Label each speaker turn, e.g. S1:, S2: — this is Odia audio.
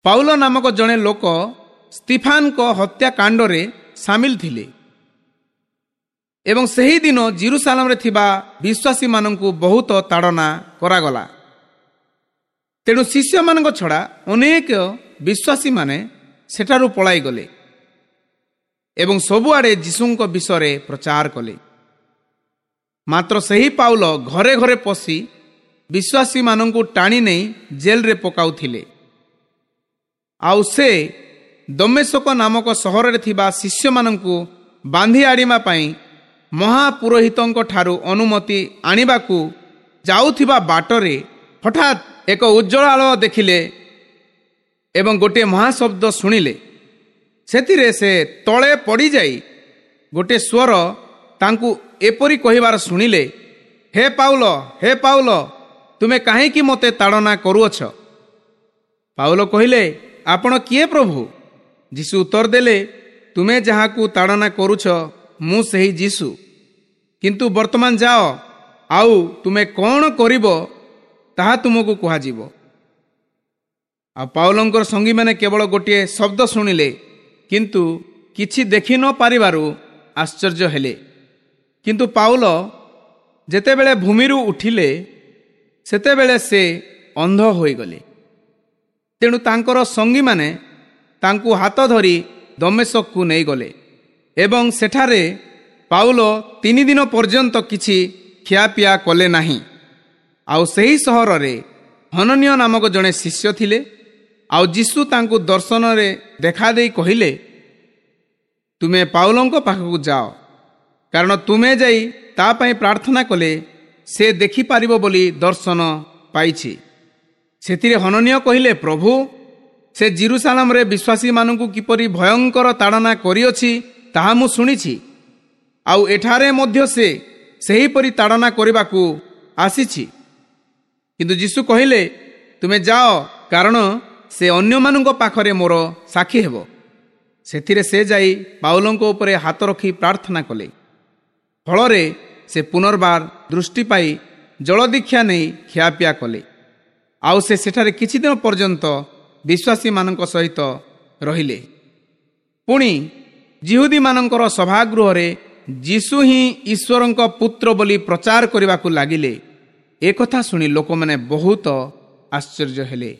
S1: ପାଉଲ ନାମକ ଜଣେ ଲୋକ ସ୍ତିଫାନଙ୍କ ହତ୍ୟାକାଣ୍ଡରେ ସାମିଲ ଥିଲେ ଏବଂ ସେହିଦିନ ଜିରୁସାଲାମରେ ଥିବା ବିଶ୍ୱାସୀମାନଙ୍କୁ ବହୁତ ତାଡ଼ନା କରାଗଲା। ତେଣୁ ଶିଷ୍ୟମାନଙ୍କ ଛଡ଼ା ଅନେକ ବିଶ୍ୱାସୀମାନେ ସେଠାରୁ ପଳାଇଗଲେ ଏବଂ ସବୁଆଡ଼େ ଯୀଶୁଙ୍କ ବିଷୟରେ ପ୍ରଚାର କଲେ। ମାତ୍ର ସେହି ପାଉଲ ଘରେ ଘରେ ପଶି ବିଶ୍ୱାସୀମାନଙ୍କୁ ଟାଣି ନେଇ ଜେଲରେ ପକାଉଥିଲେ। ଆଉ ସେ ଦମେଶକ ନାମକ ସହରରେ ଥିବା ଶିଷ୍ୟମାନଙ୍କୁ ବାନ୍ଧି ଆଣିବା ପାଇଁ ମହାପୁରୋହିତଙ୍କ ଠାରୁ ଅନୁମତି ଆଣିବାକୁ ଯାଉଥିବା ବାଟରେ ହଠାତ୍ ଏକ ଉଜ୍ଜ୍ୱଳ ଆଲୋକ ଦେଖିଲେ ଏବଂ ଗୋଟିଏ ମହାଶବ୍ଦ ଶୁଣିଲେ। ସେଥିରେ ସେ ତଳେ ପଡ଼ିଯାଇ ଗୋଟିଏ ସ୍ୱର ତାଙ୍କୁ ଏପରି କହିବାର ଶୁଣିଲେ, ହେ ପାଉଲ, ହେ ପାଉଲ, ତୁମେ କାହିଁକି ମୋତେ ତାଡ଼ନା କରୁଅଛ? ପାଉଲ କହିଲେ, ଆପଣ କିଏ ପ୍ରଭୁ? ଯୀଶୁ ଉତ୍ତର ଦେଲେ, ତୁମେ ଯାହାକୁ ତାଡ଼ନା କରୁଛ ମୁଁ ସେହି ଯୀଶୁ। କିନ୍ତୁ ବର୍ତ୍ତମାନ ଯାଅ, ଆଉ ତୁମେ କ'ଣ କରିବ ତାହା ତୁମକୁ କୁହାଯିବ। ଆଉ ପାଉଲଙ୍କର ସଙ୍ଗୀମାନେ କେବଳ ଗୋଟିଏ ଶବ୍ଦ ଶୁଣିଲେ, କିନ୍ତୁ କିଛି ଦେଖି ନ ପାରିବାରୁ ଆଶ୍ଚର୍ଯ୍ୟ ହେଲେ। କିନ୍ତୁ ପାଉଲ ଯେତେବେଳେ ଭୂମିରୁ ଉଠିଲେ, ସେତେବେଳେ ସେ ଅନ୍ଧ ହୋଇଗଲେ। ତେଣୁ ତାଙ୍କର ସଙ୍ଗୀମାନେ ତାଙ୍କୁ ହାତ ଧରି ଦମେଶକକୁ ନେଇଗଲେ ଏବଂ ସେଠାରେ ପାଉଲ 3 ଦିନ ପର୍ଯ୍ୟନ୍ତ କିଛି ଖିଆପିଆ କଲେ ନାହିଁ। ଆଉ ସେହି ସହରରେ ହନନୀୟ ନାମକ ଜଣେ ଶିଷ୍ୟ ଥିଲେ। ଆଉ ଯୀଶୁ ତାଙ୍କୁ ଦର୍ଶନରେ ଦେଖାଦେଇ କହିଲେ, ତୁମେ ପାଉଲଙ୍କ ପାଖକୁ ଯାଅ, କାରଣ ତୁମେ ଯାଇ ତା ପାଇଁ ପ୍ରାର୍ଥନା କଲେ ସେ ଦେଖିପାରିବ ବୋଲି ଦର୍ଶନ ପାଇଛି। ସେଥିରେ ହନନୀୟ କହିଲେ, ପ୍ରଭୁ, ସେ ଜିରୁସାଲାମରେ ବିଶ୍ୱାସୀମାନଙ୍କୁ କିପରି ଭୟଙ୍କର ତାଡ଼ନା କରିଅଛି ତାହା ମୁଁ ଶୁଣିଛି, ଆଉ ଏଠାରେ ମଧ୍ୟ ସେ ସେହିପରି ତାଡ଼ନା କରିବାକୁ ଆସିଛି। କିନ୍ତୁ ଯୀଶୁ କହିଲେ, ତୁମେ ଯାଅ, କାରଣ ସେ ଅନ୍ୟମାନଙ୍କ ପାଖରେ ମୋର ସାକ୍ଷୀ ହେବ। ସେଥିରେ ସେ ଯାଇ ପାଉଲଙ୍କ ଉପରେ ହାତ ରଖି ପ୍ରାର୍ଥନା କଲେ। ଫଳରେ ସେ ପୁନର୍ବାର ଦୃଷ୍ଟି ପାଇ ଜଳଦୀକ୍ଷା ନେଇ ଖିଆପିଆ କଲେ। ଆଉ ସେ ସେଠାରେ କିଛି ଦିନ ପର୍ଯ୍ୟନ୍ତ ବିଶ୍ୱାସୀମାନଙ୍କ ସହିତ ରହିଲେ। ପୁଣି ଯିହୁଦୀମାନଙ୍କର ସଭାଗୃହରେ ଯୀଶୁ ହିଁ ଈଶ୍ୱରଙ୍କ ପୁତ୍ର ବୋଲି ପ୍ରଚାର କରିବାକୁ ଲାଗିଲେ। ଏକଥା ଶୁଣି ଲୋକମାନେ ବହୁତ ଆଶ୍ଚର୍ଯ୍ୟ ହେଲେ।